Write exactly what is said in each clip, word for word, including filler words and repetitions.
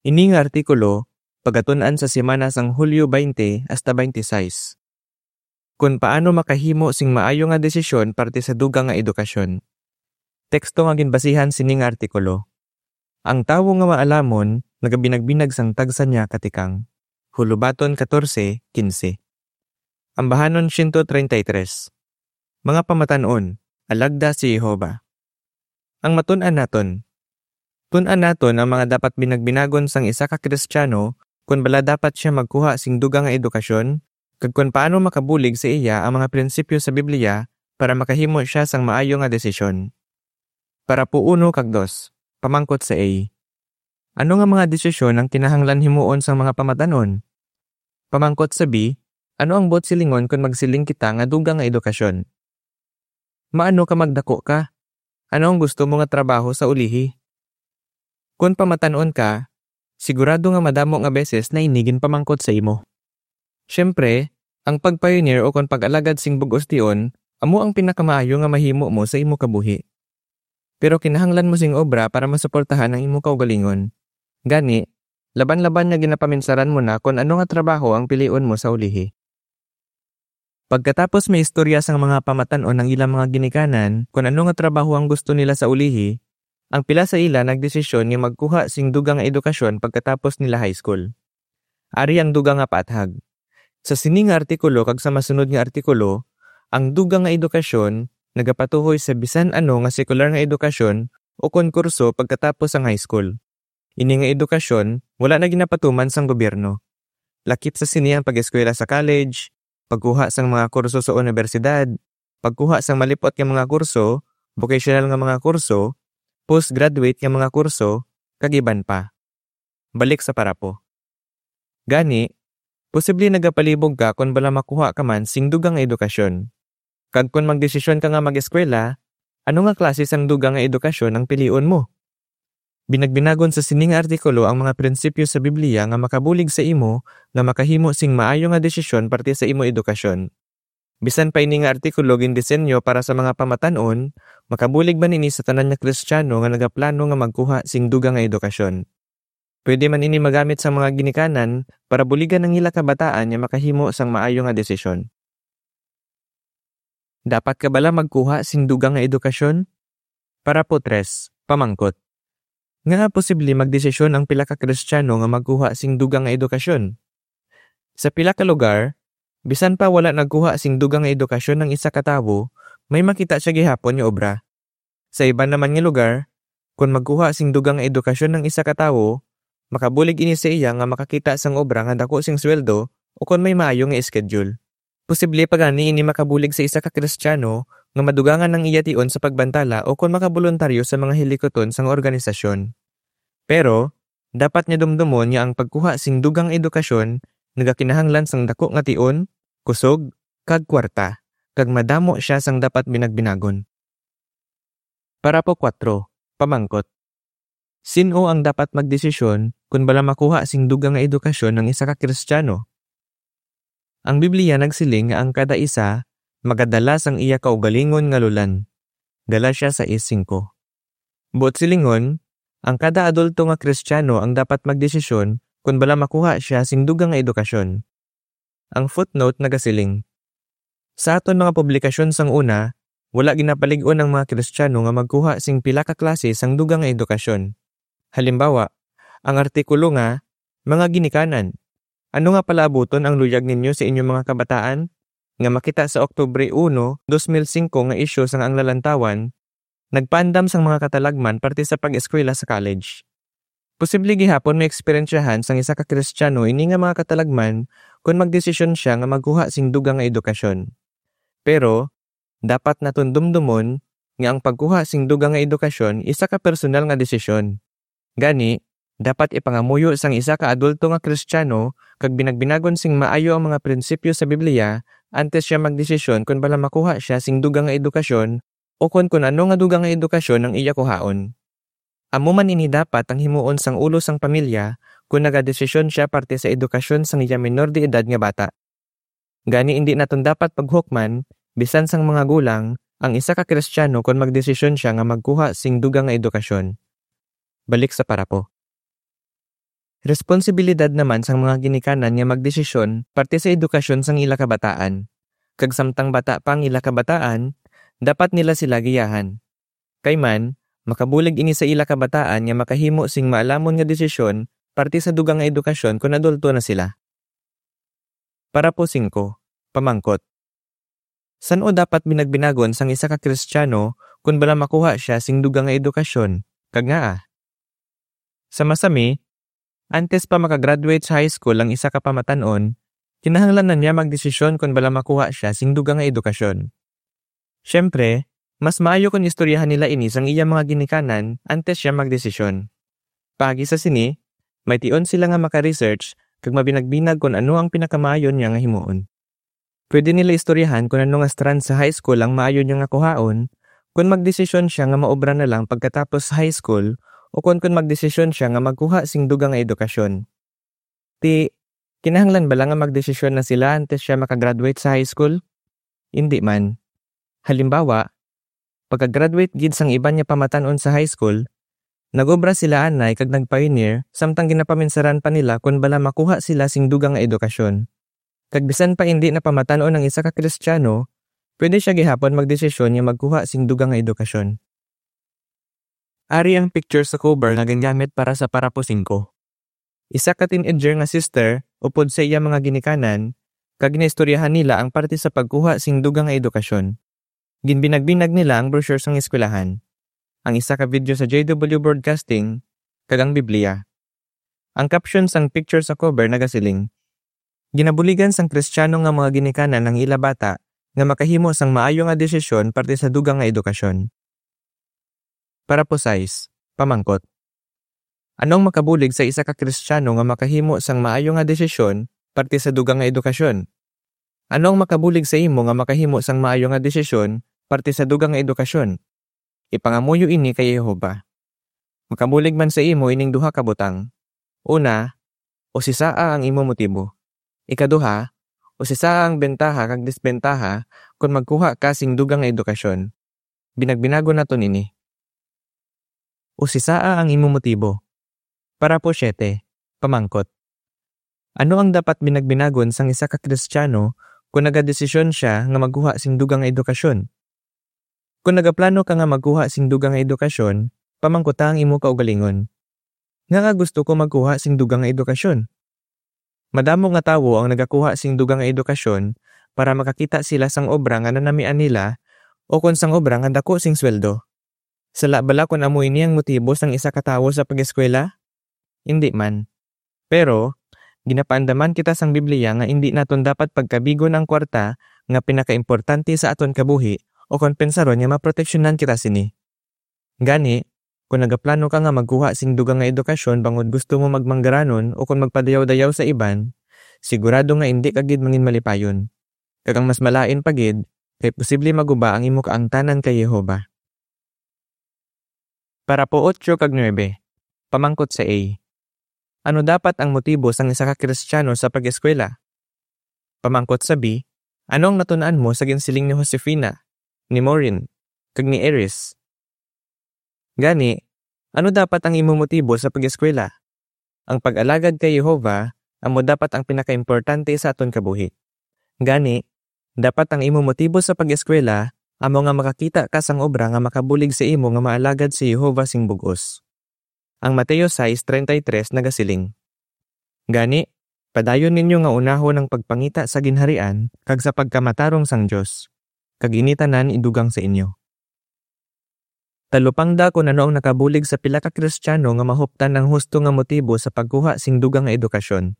Ini nga artikulo pagatun-an sa semana sang Hulyo twenty hasta twenty-six. Kon paano makahimo sing maayo nga desisyon parte sa dugang nga edukasyon. Teksto nga ginbasihan sini nga artikulo. Ang tawo nga maalamon nagabinagbinag sang tagsa niya ka tikang. Hulobaton fourteen quince. Ambahanon siyento treinta y tres. Mga pamatan-on, alagda si Jehovah. Ang matun-an naton. Tun-an naton ang mga dapat binagbinagon sang isa ka Kristiyano, kon bala dapat sia magkuha sing dugang nga edukasyon, kag kon paano makabulig sa iya ang mga prinsipyo sa Biblia para makahimo sia sang maayo nga desisyon. Parapo uno kag dos, pamangkot sa A. Ano nga mga desisyon ang kinahanglan himuon sang mga pamatan-on? Pamangkot sa B, ano ang buot silingon kon magsiling kita nga dugang nga edukasyon? Maano ka magdako ka? Ano ang gusto mo nga trabaho sa ulihi? Kon pamatan-on ka, sigurado nga madamo nga beses na ini ginpamangkot sa imo. Siyempre, ang pag-pioneer o kon pag-alagad sing bug-os tion amo ang pinakamaayo nga mahimo mo sa imo kabuhi. Pero kinahanglan mo sing obra para masuportahan ang imo kaugalingon. Gani, laban-laban nga ginapaminsaran mo na kon ano nga trabaho ang pilion mo sa ulihi. Pagkatapos maistorya sang mga pamatan-on ang ilang mga ginikanan kon ano nga trabaho ang gusto nila sa ulihi, ang pila sa ila nagdesisyon nga magkuha sing dugang nga edukasyon pagkatapos nila high school. Ari ang dugang nga paathag. Sa sini nga artikulo kag sa masunod nga artikulo, ang dugang nga edukasyon nagapatuhoy sa bisan ano nga sekular nga edukasyon o kon kurso pagkatapos sang high school. Ini nga edukasyon wala na ginapatuman sang gobyerno. Lakip sa sini ang pag-eskwela sa college, pagkuha sang mga kurso sa unibersidad, pagkuha sang malip-ot nga mga kurso, vocational nga mga kurso, postgraduate nga mga kurso, kag iban pa. Balik sa parapo. Gani, posible nagapalibog ka kon bala makuha ka man sing dugang nga edukasyon. Kag kon magdesisyon ka nga mag-eskwela, ano nga klase sang dugang nga edukasyon ang pilion mo? Binagbinagon sa sini nga artikulo ang mga prinsipyo sa Biblia nga makabulig sa imo nga makahimo sing maayo nga desisyon parte sa imo edukasyon. Bisan pa ini nga artikulo gindisenyo para sa mga pamatan-on, makabulig man ini sa tanan nga Kristiyano nga nagaplano nga magkuha sing dugang nga edukasyon. Pwede man ini magamit sang mga ginikanan para buligan ang ila kabataan nga makahimo sang maayo nga desisyon. Dapat ka bala magkuha sing dugang nga edukasyon? Parapo tres, pamangkot. Ngaa posible magdesisyon ang pila ka Kristiyano nga magkuha sing dugang nga edukasyon? Sa pila ka lugar, bisan pa wala nagkuha sing dugang nga edukasyon ang isa ka tawo, may makita sia gihapon nga obra. Sa iban naman nga lugar, kon magkuha sing dugang nga edukasyon ang isa ka tawo, makabulig ini sa iya nga makakita sang obra nga daku sing sweldo o kon may maayo nga schedule. Posible pa gani ini makabulig sa isa ka Kristiyano nga madugangan ang iya tion sa pagbantala o kon makaboluntaryo sa mga hilikuton sang organisasyon. Pero, dapat niya dumdumon nga ang pagkuha sing dugang edukasyon nagakinahanglan sang daku nga tion, kusog, kag kwarta, kag madamo sia sang dapat binagbinagon. Parapo kuwatro, pamangkot. Sin-o ang dapat magdesisyon kon bala makuha sing dugang nga edukasyon ang isa ka Kristiyano? Ang Biblia nagsiling nga ang kada isa magadala sang iya kaugalingon nga lulan. Galatia sais singko. Buot silingon, ang kada adulto nga Kristiyano ang dapat magdesisyon kon bala makuha sia sing dugang nga edukasyon. Ang footnote nagasiling, sa aton mga publikasyon sang una, wala ginapalig-on ang mga Kristiyano nga magkuha sing pila ka klase sang dugang nga edukasyon. Halimbawa, ang artikulo nga, Mga Ginikanan, Ano nga palaabuton ang luyag ninyo sa inyong mga kabataan? Nga makita sa Oktubre uno, dos mil singko nga isyu sang Ang Lalantawan, nagpaandam sang mga katalagman parte sa pag-eskwela sa college. Posible gihapon maeksperiensyahan sang isa ka Kristiyano ini nga mga katalagman kon magdesisyon sia nga magkuha sing dugang nga edukasyon. Pero, dapat naton dumdumon nga ang pagkuha sing dugang nga edukasyon isa ka personal nga desisyon. Gani, dapat ipangamuyo sang isa ka adulto nga Kristiyano kag binagbinagon sing maayo ang mga prinsipyo sa Biblia antes sia magdesisyon kon bala makuha sia sing dugang nga edukasyon o kon kon ano nga dugang nga edukasyon ang iya kuhaon. Amo man ini dapat ang himuon sang ulo sang pamilya kon nagadesisyon sia parte sa edukasyon sang iya menor de edad nga bata. Gani, indi naton dapat paghukman, bisan sang mga gulang, ang isa ka Kristiyano kon magdesisyon sia nga magkuha sing dugang nga edukasyon. Balik sa parapo. Responsibilidad naman sang mga ginikanan nga magdesisyon parte sa edukasyon sang ila kabataan. Kag samtang bata pa ang ila kabataan, dapat nila sila giyahan. Kay man, makabulig ini sa ila kabataan nga makahimo sing maalamon nga desisyon parte sa dugang nga edukasyon kon adulto na sila. Parapo singko, pamangkot. San-o dapat binagbinagon sang isa ka Kristiyano kon bala makuha sia sing dugang nga edukasyon, kag ngaa? Sa masami, antes pa makagraduate sa high school ang isa ka pamatan-on, kinahanglan na niya magdesisyon kon bala makuha sia sing dugang nga edukasyon. Siyempre, mas maayo kon istoryahan nila ini sang iya mga ginikanan antes siya magdesisyon. Paagi sa sini, may tion sila nga maka-research kag mabinagbinag kon ano ang pinakamaayo niya nga himuon. Pwede nila istoryahan kon ano nga strand sa high school ang maayo niya nga kuhaon, kon magdesisyon siya nga maobra na lang pagkatapos sa high school, o kon, kon magdesisyon siya nga magkuha sing dugang nga edukasyon. Ti, kinahanglan bala nga magdesisyon na sila antes siya makagraduate sa high school? Indi man. Halimbawa, pagka-graduate gid sang iban nga pamatan-on sa high school, nag-obra sila anay kag nag-pioneer samtang ginapaminsaran pa nila kon bala makuha sila sing dugang nga edukasyon. Kag bisan pa indi na pamatan-on ang isa ka Kristiyano, pwede siya gihapon magdesisyon nga magkuha sing dugang nga edukasyon. Ari ang picture sa cover nga gingamit para sa parapo singko. Isa ka teenager nga sister upod sa iya mga ginikanan, kag ginaistoryahan nila ang parte sa pagkuha sing dugang nga edukasyon. Ginbinagbinag nila ang brochure sang eskwelahan, ang isa ka video sa J W Broadcasting, kag ang Biblia. Ang caption sang picture sa cover nagasiling, "Ginabuligan sang Kristiyano nga mga ginikanan ang ila bata nga makahimo sang maayo nga desisyon parte sa dugang nga edukasyon." Parapo sais, pamangkot. Ano ang makabulig sa isa ka Kristiyano nga makahimo sang maayo nga desisyon parte sa dugang nga edukasyon? Ano ang makabulig sa imo nga makahimo sang maayo nga desisyon parte sa dugang nga edukasyon? Ipangamuyo ini kay Jehovah. Makabulig man sa imo ining duha ka butang. Una, usisaa ang imo motibo. Ikaduha, usisaa ang bentaha kag disbentaha kon magkuha ka sing dugang nga edukasyon. Binagbinagon naton ini. Usisaa ang imo motibo. Parapo siete, pamangkot. Ano ang dapat binagbinagon sang isa ka Kristiyano kon nagadesisyon sia nga magkuha sing dugang nga edukasyon? Kon nagaplano ka nga magkuha sing dugang nga edukasyon, pamangkuta ang imo kaugalingon, "Ngaa gusto ko magkuha sing dugang nga edukasyon?" Madamo nga tawo ang nagakuha sing dugang nga edukasyon para makakita sila sang obra nga nanamian nila o kon sang obra nga dako sing sweldo. Sala bala kon amo ini ang motibo sang isa ka tawo sa pag-eskwela? Indi man. Pero, ginapaandaman kita sang Biblia nga indi naton dapat pagkabigon ang kwarta nga pinakaimportante sa aton kabuhi o kon pensaron nga maproteksyonan kita sini. Gani, kon nagaplano ka nga magkuha sing dugang nga edukasyon bangod gusto mo magmanggaranon o kon magpadayaw-dayaw sa iban, sigurado nga indi ka gid mangin malipayon. Kag ang mas malain pa gid, kay posible maguba ang imo kaangtanan kay Jehovah. Parapo otso kag nuebe. Pamangkot sa A. Ano dapat ang motibo sang isa ka Kristiyano sa pag-eskwela? Pamangkot sa B, ano ang natun-an mo sa ginsiling ni Josefina, ni Maureen, kag ni Eris? Gani, ano dapat ang imo motibo sa pag-eskwela? Ang pag-alagad kay Jehovah amo dapat ang pinakaimportante sa aton kabuhi. Gani, dapat ang imo motibo sa pag-eskwela amo nga makakita ka sang obra nga makabulig sa imo nga maalagad si Jehovah sing bug-os. Ang Mateo sais treinta y tres nagasiling, "Gani, padayon ninyo nga unahon ang pagpangita sa Ginharian kag sa pagkamatarong sang Dios, kag ini tanan idugang sa inyo." Talupangda kon ano ang nakabulig sa pila ka Kristiyano nga mahuptan ang husto nga motibo sa pagkuha sing dugang nga edukasyon.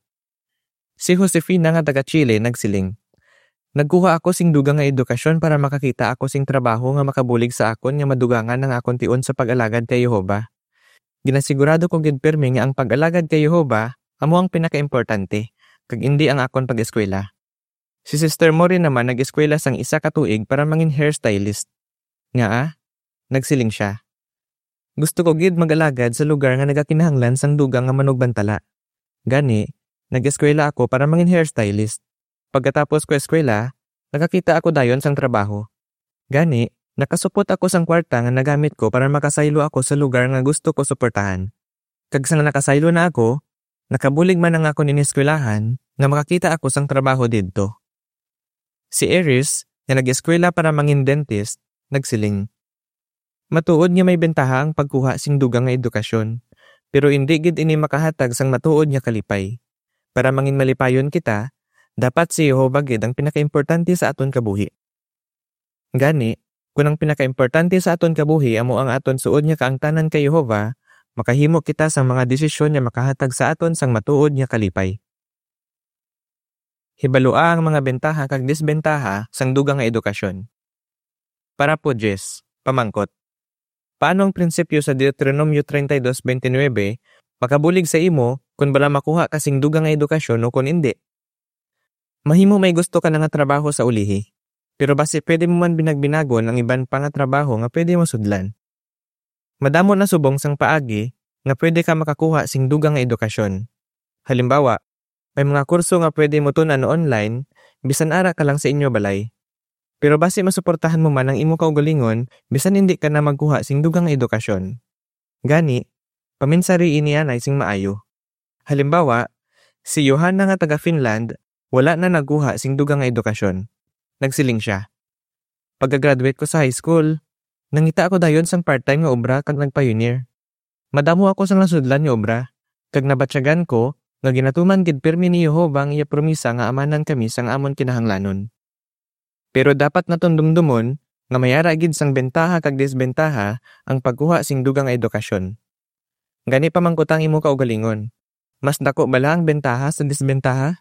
Si Josefina nga taga Chile nagsiling, "Nagkuha ako sing dugang nga edukasyon para makakita ako sing trabaho nga makabulig sa akon nga madugangan ang akon tion sa pag-alagad kay Jehovah. Ginasigurado ko gid pirme nga ang pag-alagad kay Jehovah amo ang pinakaimportante, kag indi ang akon pag-eskwela." Si Sister Maureen naman nag-eskwela sang isa ka tuig para mangin hairstylist. Ngaa? Nagsiling sia, "Gusto ko gid mag-alagad sa lugar nga nagakinahanglan sang dugang nga manugbantala. Gani, nag-eskwela ako para mangin hairstylist. Pagkatapos ko eskwela, nakakita ako dayon sang trabaho. Gani, nakasupot ako sang kwarta nga nagamit ko para makasaylo ako sa lugar nga gusto ko suportahan. Kag sang nakasaylo na ako, Nakabulig man ang akon ineskwelahan nga makakita ako sang trabaho didto. Si Iris, nga nag-eskwela para mangin dentist, nagsiling, "Matuod nga may bentaha ang pagkuha sing dugang nga edukasyon, pero indi gid ini makahatag sang matuod nga kalipay. Para mangin malipayon kita, dapat si Jehovah gid ang pinakaimportante sa aton kabuhi." Gani, kun ang pinakaimportante sa aton kabuhi amo ang aton suod nga kaangtanan kay Jehovah, makahimo kita sang mga desisyon nga makahatag sa aton sang matuod nga kalipay. Hibalua ang mga bentaha kag disbentaha sang dugang nga edukasyon. Parapo diyes, pamangkot. Paano ang prinsipyo sa Deuteronomio treinta y dos veintinueve makabulig sa imo kon bala makuha ka sing dugang nga edukasyon o kon indi? Mahimo may gusto ka na nga trabaho sa ulihi, pero basi pwede mo man binagbinagon ang iban pa nga trabaho nga pwede mo sudlan. Madamo na subong sang paagi nga pwede ka makakuha sing dugang nga edukasyon. Halimbawa, may mga kurso nga pwede mo tun-an online, bisan ara ka lang sa inyo balay. Pero basi masuportahan mo man ang imo kaugalingon, bisan indi ka na magkuha sing dugang nga edukasyon. Gani, paminsari ini anay sing maayo. Halimbawa, si Johanna nga taga Finland, wala na nagkuha sing dugang nga edukasyon. Nagsiling sia, "Pagka-graduate ko sa high school, nangita ako dayon sang part-time nga obra kag nag-pioneer. Madamo ako sang nasudlan nga obra, kag nabatyagan ko nga ginatuman gid pirmi ni Jehovah ang iya promisa nga amanan kami sang amon kinahanglanon." Pero dapat naton dumdumon nga may ara gid sang bentaha kag disbentaha ang pagkuha sing dugang nga edukasyon. Gani, pamangkuta ang imo kaugalingon, mas dako bala ang bentaha sa disbentaha?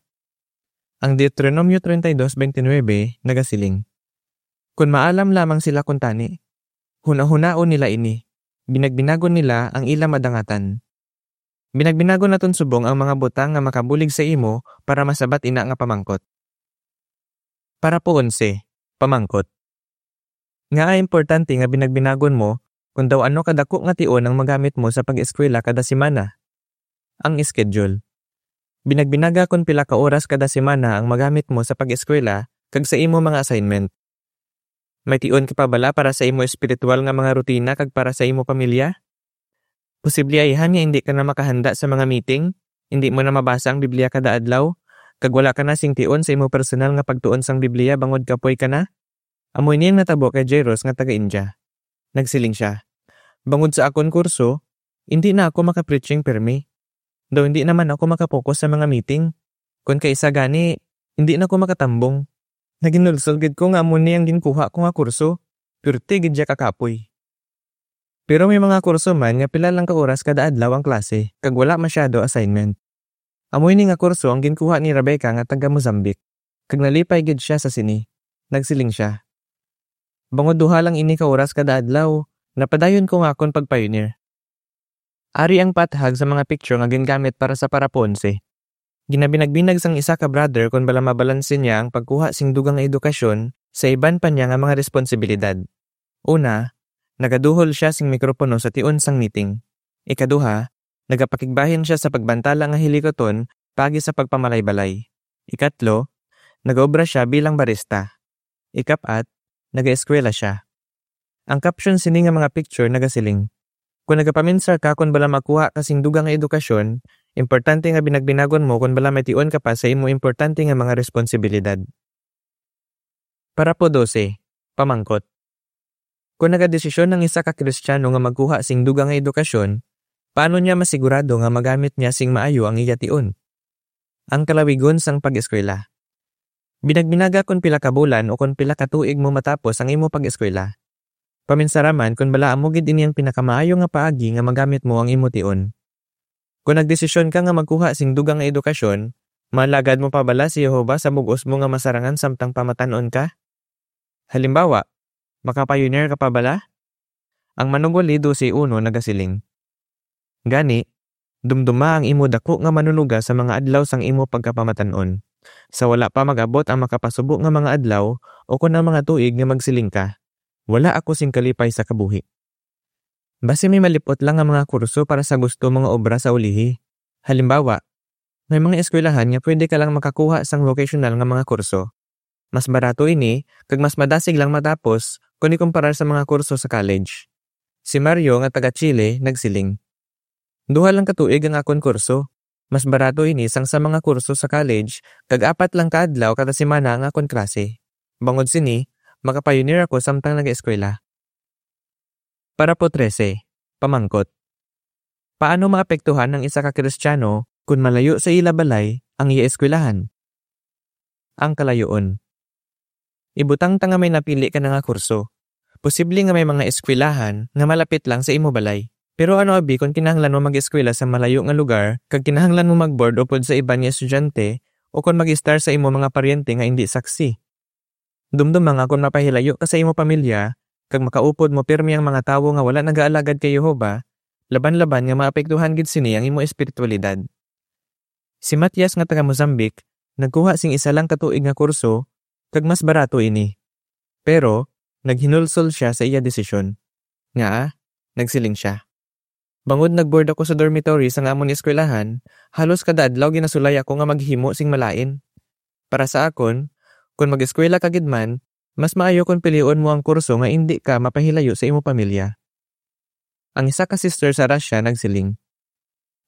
Ang Deuteronomio treinta y dos veintinueve nagasiling, "Kon maalam lamang sila kuntani, hunahunaon nila ini, binagbinagon nila ang ila madangatan." Binagbinagon naton subong ang mga butang nga makabulig sa imo para masabat ina nga pamangkot. Parapo onse, pamangkot. Ngaa importante nga binagbinagon mo kon daw ano kadako nga tion ang magamit mo sa pag-eskwela kada semana? Ang schedule. Binagbinaga kon pila ka oras kada semana ang magamit mo sa pag-eskwela kag sa imo mga assignment. May tion ka pa bala para sa imo espiritual nga mga rutina kag para sa imo pamilya? Posible ayhan nga indi ka na makahanda sa mga meeting, indi mo na mabasa ang Biblia kada adlaw, kag wala ka na sing tion sa imo personal nga pagtuon sang Biblia bangod kapoy ka na. Amo ini ang natabo kay Jairus nga taga India. Nagsiling sia, "Bangod sa akon kurso, indi na ako maka-preaching pirmi. Daw indi naman ako maka-focus sa mga meeting. Kon kaisa gani, indi na ko makatambong. Naginulsol gid ko nga amo ni ang ginkuha ko nga kurso. Pirti gid sia kakapoy." Pero may mga kurso man nga pila lang ka oras kada adlaw ang klase, kag wala masyado assignment. Amo ini nga kurso ang ginkuha ni Rebecca nga taga Mozambique, kag nalipay gid sia sa sini. Nagsiling sia, "Bangod duha lang ini ka oras kada adlaw, napadayon ko nga akon pag-pioneer." Ari ang pathag sa mga picture nga gingamit para sa parapo onse. Ginabinagbinag sang isa ka brother kon bala mabalanse niya ang pagkuha sing dugang nga edukasyon sa iban pa niya nga mga responsibilidad. Una, nagaduhol sia sing mikropono sa tion sang meeting. Ikaduha, nagapakigbahin sia sa pagbantala nga hilikuton paagi sa pagpamalay-balay. Ikatlo, nagaobra sia bilang barista. Ikap-at, nagaeskwela sia. Ang caption sini nga mga picture nagasiling, "Kon nagapaminsar ka kon bala makuha ka sing dugang nga edukasyon, importante nga binagbinagon mo kon bala may tion ka pa sa imo importante nga mga responsibilidad." Parapo dose, pamangkot. Kon nagadesisyon ang isa ka Kristiyano nga magkuha sing dugang nga edukasyon, paano niya masigurado nga magamit niya sing maayo ang iya tion? Ang kalawigon sang pag-eskwela. Binagbinaga kon pila ka bulan o kon pila ka tuig mo matapos ang imo pag-eskwela. Paminsara man kon bala amo gid ini ang pinakamaayo nga paagi nga magamit mo ang imo tion. Kon nagdesisyon ka nga magkuha sing dugang nga edukasyon, maalagad mo pa bala si Jehovah sa bug-os mo nga masarangan samtang pamatan-on ka? Halimbawa, maka-pioneer ka pa bala? Ang Manugwali dose uno nagasiling, "Gani, dumduma ang imo dako nga manunuga sa mga adlaw sang imo pagkapamatan-on, sa wala pa mag-abot ang makapasubo nga mga adlaw o kon ang mga tuig nga magsiling ka, 'Wala ako sing kalipay sa kabuhi.' Basi may malip-ot lang nga mga kurso para sa gusto mo nga obra sa ulihi. Halimbawa, may mga eskwelahan nga pwede ka lang makakuha sang vocational nga mga kurso. Mas barato ini, kag mas madasig lang matapos kon ikumparar sa mga kurso sa college." Si Mario nga taga Chile nagsiling, "Duha lang ka tuig ang akon kurso, Mas barato ini sang sa mga kurso sa college, kag apat lang ka adlaw kada semana ang akon klase. Bangod sini, makapayunir ako samtang nag-eskwela. Parapo trese, pamangkot. Paano maapektuhan ang isa ka Kristiyano kon malayo sa ila balay ang iya eskwelahan? Ang kalayoon. Ibutang ta nga may napili ka na nga kurso. Posible nga may mga eskwelahan nga malapit lang sa imo balay. Pero ano abi kon kinahanglan mo mag-eskwela sa malayo nga lugar kag kinahanglan mo mag-board upod sa iban nga estudyante o kon mag-estar sa imo mga paryente nga indi saksi? Dumduma nga kon mapahilayo ka sa imo pamilya kag makaupod mo pirmi ang mga tawo nga wala nagaalagad kay Jehovah, laban-laban nga maapektuhan gid sini ang imo espiritualidad. Si Matias nga taga Mozambique nagkuha sing isa lang ka tuig nga kurso kag mas barato ini. Pero naghinulsol sia sa iya desisyon. Ngaa? Nagsiling sia, "Bangod nagboard ako sa dormitory sang amon eskwelahan, halos kada adlaw ginasulay ako nga maghimo sing malain. Para sa akon, kon mag-eskwela ka gid man, mas maayo kon pilion mo ang kurso nga indi ka mapahilayo sa imo pamilya." Ang isa ka sister sa Russia nagsiling,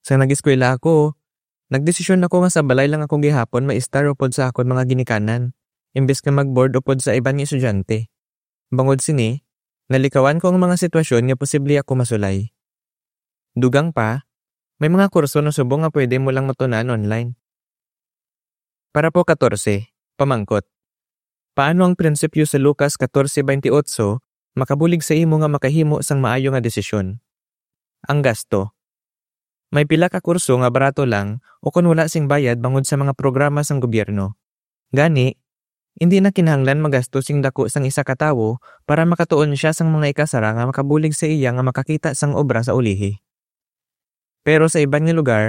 "Sang nag-eskwela ako, nagdesisyon ako nga sa balay lang ako gihapon maistar upod sa akon mga ginikanan, imbes nga mag-board upod sa iban nga estudyante. Bangod sini, nalikawan ko ang mga sitwasyon nga posible ako masulay. Dugang pa, may mga kurso na subong nga pwede mo lang matunan online." Parapo katorse, pamangkot. Paano ang prinsipyo sa Lucas katorse baynte otso makabulig sa imo nga makahimo sang maayo nga desisyon? Ang gasto. May pila ka kurso nga barato lang o kon wala sing bayad bangod sa mga programa sang gobyerno. Gani, indi na kinahanglan magasto sing daku sang isa ka tawo para makatuon sia sang mga ikasarang nga makabulig sa iya nga makakita sang obra sa ulihi. Pero sa iban nga lugar,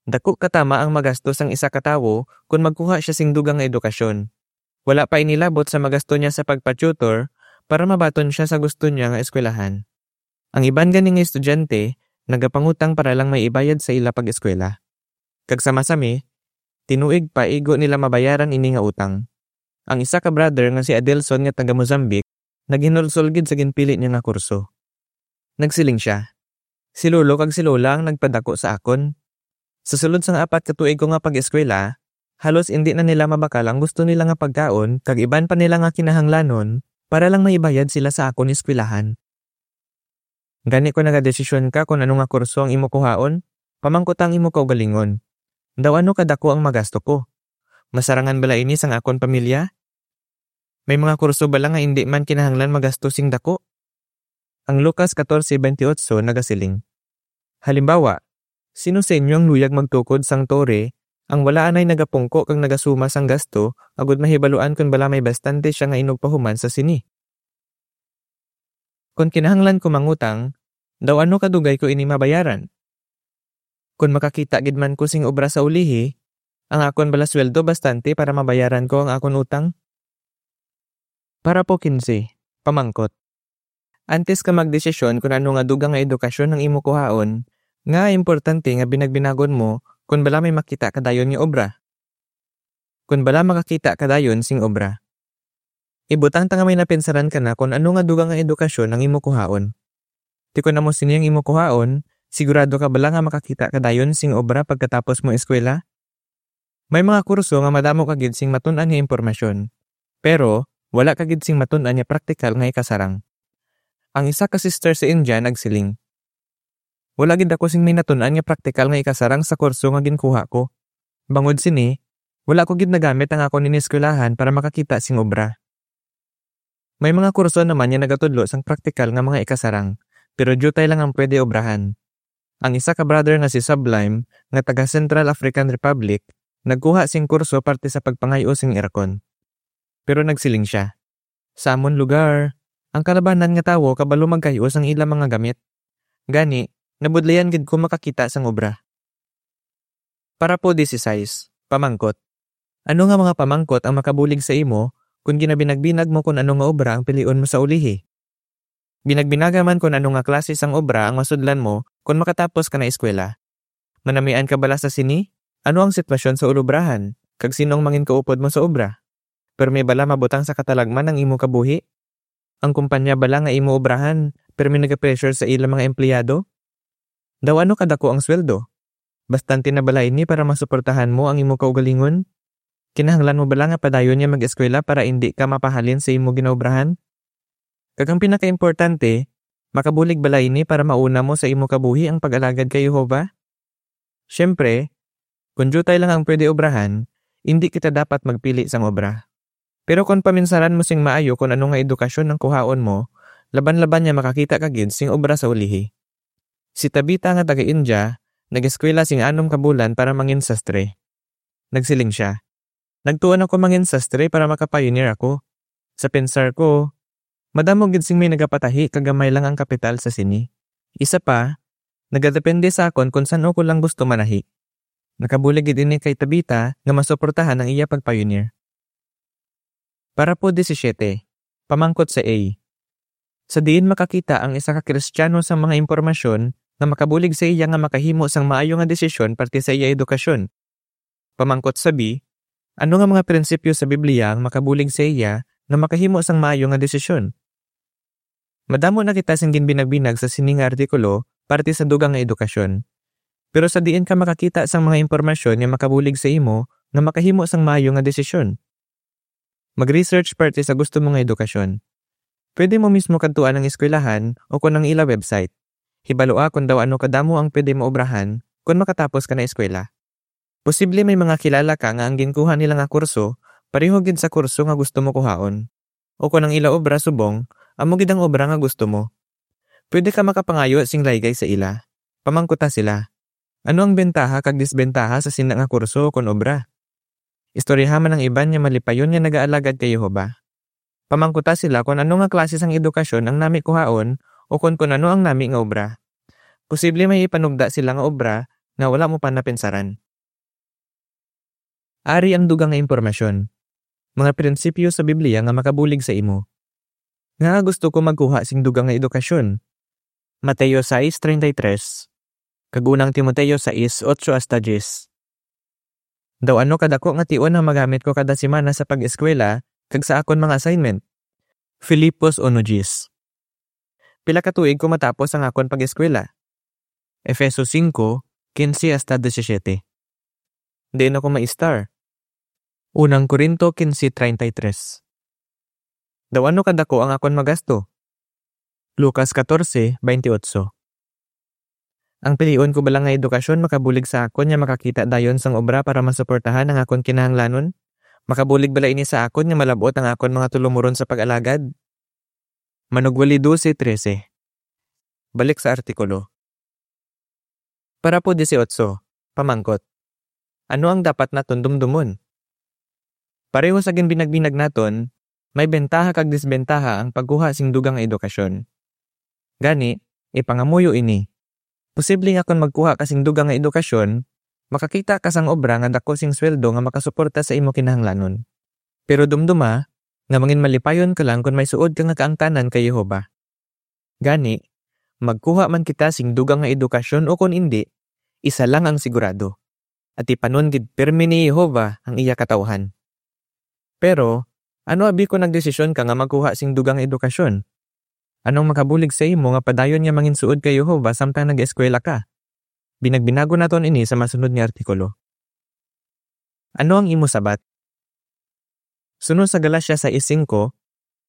daku ka tama ang magasto sang isa ka tawo kon magkuha sia sing dugang nga edukasyon. Wala pa ini labot sa magasto niya sa pagpa-tutor para mabaton sia sa gusto niya nga eskwelahan. Ang iban gani nga estudyante nagapangutang para lang may ibayad sa ila pag-eskwela. Kag sa masami, tinuig pa igo nila mabayaran ini nga utang. Ang isa ka brother nga si Adelson nga taga Mozambique naghinulsol gid sa ginpili niya nga kurso. Nagsiling sia, "Si lolo kag si lola ang nagpadako sa akon. Sa sulod sang apat ka tuig ko nga pag-eskwela, halos indi na nila mabakal ang gusto nila nga pagkaon kag iban pa nila nga kinahanglanon para lang may ibayad sila sa akon eskwelahan. Gani kon nagadesisyon ka kon ano nga kurso ang imo kuhaon, pamangkuta ang imo kaugalingon, 'Daw ano kadako ang magasto ko? Masarangan bala ini sang akon pamilya?' May mga kurso bala nga indi man kinahanglan magasto sing daku?" Ang Lucas katorse baynte otso nagasiling, "Halimbawa, sino sa inyo ang luyag magtukod sang tore ang wala anay nagapungko kag nagasuma sang gasto agud mahibaluan kon bala may bastante sia nga inugpahuman sa sini? Kon kinahanglan ko mangutang, daw ano kadugay ko ini mabayaran? Kon makakita gid man ko sing obra sa ulihi, ang akon bala sweldo bastante para mabayaran ko ang akon utang?" Parapo kinse, pamangkot. Antes ka magdesisyon kon ano nga dugang nga edukasyon ang imo kuhaon, nga importante nga binagbinagon mo kon bala may makita ka dayon nga obra. Kon bala makakita ka dayon sing obra. Ibutang ta nga may napinsaran ka na kon ano nga dugang nga edukasyon ang imo kuhaon. Ti kon amo sini ang imo kuhaon, sigurado ka bala nga makakita ka dayon sing obra pagkatapos mo eskwela? May mga kurso nga madamo ka gid sing matun-an nga impormasyon, pero wala ka gid sing matun-an nga praktikal nga ikasarang. Ang isa ka sister sa India nagsiling, "Wala gid ako sing may natun-an nga praktikal nga ikasarang sa kurso nga ginkuha ko. Bangod sini, wala ko gid nagamit ang akon ineskwelahan para makakita sing obra." May mga kurso naman nga nagatudlo sang praktikal nga mga ikasarang, pero diutay lang ang pwede obrahan. Ang isa ka brother nga si Sublime, nga taga Central African Republic, nagkuha sing kurso parte sa pagpangay-o sing aircon. Pero nagsiling sia, "Sa amon lugar, ang kalabanan nga tawo kabalo magkay-o sang ila mga gamit. Gani, nabudlayan gid ko makakita sang obra." Parapo dieciséis, pamangkot. Ano nga mga pamangkot ang makabulig sa imo kon ginabinagbinag mo kon ano nga obra ang pilion mo sa ulihi? Binagbinaga man kon ano nga klase sang obra ang masudlan mo kon makatapos ka na eskwela? Manamian ka bala sa sini? Ano ang sitwasyon sa ulubrahan, kag sino ang mangin kaupod mo sa obra? Pero may bala mabutang sa katalagman ang imo kabuhi? Ang kumpanya bala nga imo obrahan, pero may nagapressure sa ila mga empleyado? Daw ano kadako ang sweldo? Bastante na bala ini para masuportahan mo ang imo kaugalingon? Kinahanglan mo bala nga padayon nga mag-eskwela para indi ka mapahalin sa imo ginaobrahan? Kag ang pinakaimportante, makabulig bala ini para mauna mo sa imo kabuhi ang pag-alagad kay Jehovah? Siyempre, kon diutay lang ang pwede obrahan, indi kita dapat magpili sang obra. Pero kon paminsaran mo sing maayo kon ano nga edukasyon ang kuhaon mo, laban-laban nga makakita ka gid sing obra sa ulihi. Si Tabita nga taga-India nag-eskwela sing anom ka bulan para mangin sastre. Nagsiling sia, "Nagtuon ako mangin sastre para maka-pioneer ako. Sa pensar ko, madamo gid sing may nagapatahi kag gamay lang ang kapital sa sini. Isa pa, nagadepende sa akon kon san-o ko lang gusto manahi." Nakabulig gid ini kay Tabita nga masuportahan ang iya pag-pioneer. Parapo disisiete, pamangkot sa A. Sa diin makakita ang isa ka Kristiyano sang mga impormasyon nga makabulig sa iya nga makahimo sang maayo nga desisyon parte sa iya edukasyon? Pamangkot sa B, ano nga mga prinsipyo sa Biblia ang makabulig sa iya nga makahimo sang maayo nga desisyon? Madamo na kita sing ginbinagbinag sa sini nga artikulo parte sa dugang nga edukasyon. Pero sa diin ka makakita sang mga impormasyon nga makabulig sa imo nga makahimo sang maayo nga desisyon? Mag-research parte sa gusto mo nga edukasyon. Pwede mo mismo kadtuan ang eskwelahan o kon ang ila website. Hibalua kon daw ano kadamo ang pwede mo obrahan kon makatapos ka na eskwela. Posible may mga kilala ka nga ang ginkuha nila nga kurso pareho gid sa kurso nga gusto mo kuhaon. O kon ang ila obra subong, amo gid ang obra nga gusto mo. Pwede ka makapangayo sing laygay sa ila. Pamangkuta sila, "Ano ang bentaha kag disbentaha sa sina nga kurso kon obra?" Istoryaha man ang iban nga malipayon nga nagaalagad kay Jehovah. Pamangkuta sila kon ano nga klase sang edukasyon ang nami kuhaon o kon, kon ano ang nami nga obra. Posible may ipanugda sila nga obra nga wala mo pa napinsaran. Ari ang dugang nga impormasyon. Mga prinsipyo sa Biblia nga makabulig sa imo. Ngaa gusto ko magkuha sing dugang nga edukasyon? Mateo sais treinta y tres, kag unang Timoteo sais, otso hasta diyes. Daw ano kadako nga tion ang magamit ko kada semana sa pag-eskwela kag sa akon mga assignment? Filipos uno diyes. Pila ka tuig ko matapos ang akon pag-eskwela? Efeso singko, kinse hasta disisiete. Diin ako ma-star? Unang Corinto kinse treinta y tres. Daw ano kadako ang akon magasto? Lucas katorse, baynte otso. Ang pilion ko bala nga edukasyon makabulig sa akon nga makakita dayon sang obra para masuportahan ang akon kinahanglanon? Makabulig bala ini sa akon nga malab-ot ang akon mga tulumoron sa pag-alagad? Manugwali dose trese. Balik sa artikulo. Parapo disiotso, pamangkot, ano ang dapat naton dumdumon? Pareho sa ginbinagbinag naton, may bentaha kag disbentaha ang pagkuha sing dugang nga edukasyon. Gani, ipangamuyo ini. Posible nga kon magkuha ka sing dugang nga edukasyon, makakita ka sang obra nga dako sing sweldo nga makasuporta sa imo kinahanglanon. Pero dumduma nga manginmalipayon ka lang kon may suod ka nga kaangtanan kay Jehovah. Gani, magkuha man kita sing dugang nga edukasyon o kon indi, isa lang ang sigurado. Atipanon gid pirme ni Jehovah ang iya katawuhan. Pero, ano abi kon nagdesisyon ka nga magkuha sing dugang nga edukasyon? Anong makabulig sa imo nga padayon nga manginsuod kay Jehovah samtang nag-eskwela ka? Binagbinagon naton ini sa masunod nga artikulo. Ano ang imo sabat? Suno sa Galacia sais singko,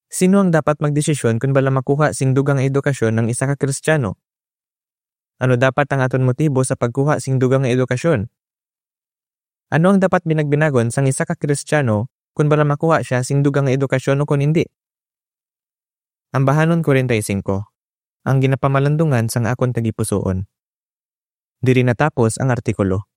sino ang dapat magdesisyon kon bala makuha sing dugang nga edukasyon ang isa ka Kristiyano? Ano dapat ang aton motibo sa pagkuha sing dugang nga edukasyon? Ano ang dapat binagbinagon sang isa ka Kristiyano kon bala makuha sia sing dugang nga edukasyon o kon indi? Ambahanon kuwarenta y singko, ang ginapamalandungan sang akon tagipusoon. Diri natapos ang artikulo.